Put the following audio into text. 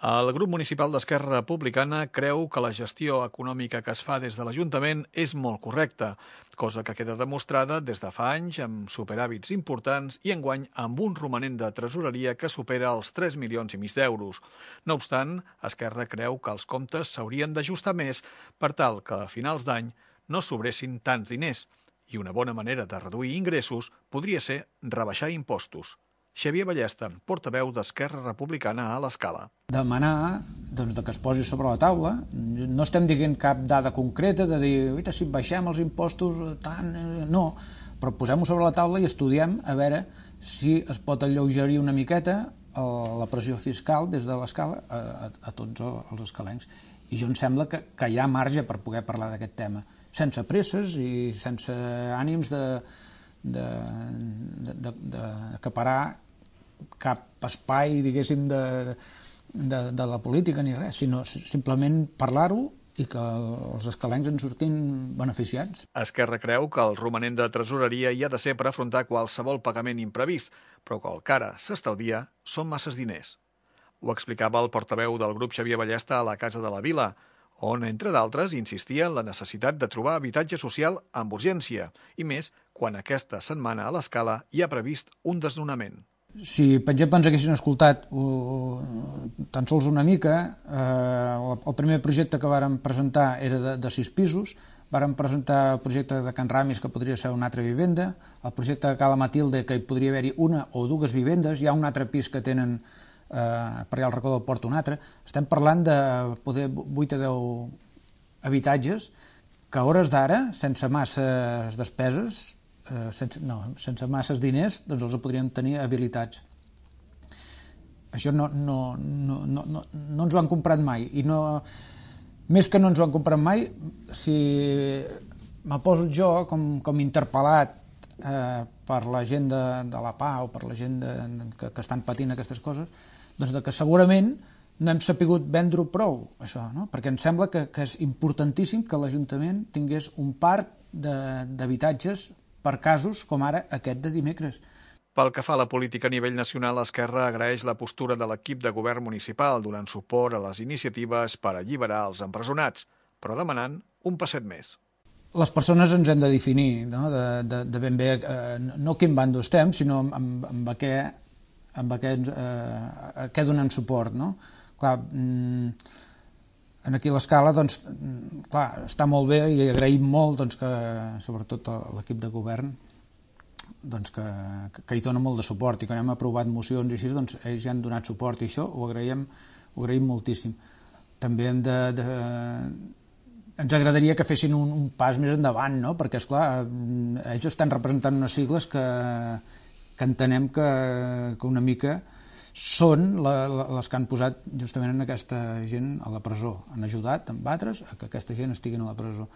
El grup municipal d'Esquerra Republicana creu que la gestió econòmica que es fa des de l'Ajuntament és molt correcta, cosa que queda demostrada des de fa anys amb superàvits importants i enguany amb un romanent de tresoreria que supera els 3,5 milions d'euros. No obstant, Esquerra creu que els comptes s'haurien d'ajustar més per tal que a finals d'any no sobressin tants diners, i una bona manera de reduir ingressos podria ser rebaixar impostos. Xavier Ballesta, portaveu d'Esquerra Republicana a l'Escala. Demanar que es posi sobre la taula. No estem dient cap dada concreta de dir si baixem els impostos tant... No, però posem-ho sobre la taula i estudiem a veure si es pot alleugerir una miqueta la pressió fiscal des de l'Escala a tots els escalencs. I jo em sembla que hi ha marge per poder parlar d'aquest tema, sense presses i sense ànims d'acaparar cap espai, diguéssim, de la política ni res, sinó simplement parlar-ho i que els escalencs en surtin beneficiats. Esquerra creu que el romanent de tresoreria hi ha de ser per afrontar qualsevol pagament imprevist, però que el que ara s'estalvia són masses diners. Ho explicava el portaveu del grup Xavier Ballesta a la Casa de la Vila, on, entre d'altres, insistia en la necessitat de trobar habitatge social amb urgència, i més quan aquesta setmana a l'Escala hi ha previst un desnonament. Si, per exemple, ens haguessin escoltat tan sols una mica, el primer projecte que vàrem presentar era de 6 pisos, vàrem presentar el projecte de Can Ramis, que podria ser una altra vivenda, el projecte de Cala Matilde, que hi podria haver-hi una o dues vivendes, hi ha un altre pis que tenen per allà al racó del Port un altre. Estem parlant de poder 8 o 10 habitatges que a hores d'ara, sense masses despeses, sense masses diners, doncs els podríem tenir habilitats. Això no ens ho han comprat mai, i més que no ens ho han comprat mai, si me poso jo com interpel·lat per la gent de la PA o per la gent que estan patint aquestes coses, doncs que segurament no hem sapigut vendre-ho prou, això, no? Perquè em sembla que és importantíssim que l'Ajuntament tingués un parc d'habitatges per casos com ara aquest de dimecres. Pel que fa a la política a nivell nacional, Esquerra agraeix la postura de l'equip de govern municipal donant suport a les iniciatives per alliberar els empresonats, però demanant un passet més. Les persones ens hem de definir, no? De ben bé, no quin bando estem, sinó amb què donem suport, no? Clar, aquí a l'Escala, doncs, clar, està molt bé i agraïm molt que, sobretot l'equip de govern, doncs, que hi dona molt de suport i que hem aprovat mocions i així, doncs, ells ja han donat suport i això ho agraïm moltíssim. També ens agradaria que fessin un pas més endavant, no? Perquè, esclar, ells estan representant unes sigles que entenem que una mica són les que han posat justament aquesta gent a la presó, han ajudat amb altres a que aquesta gent estigui a la presó.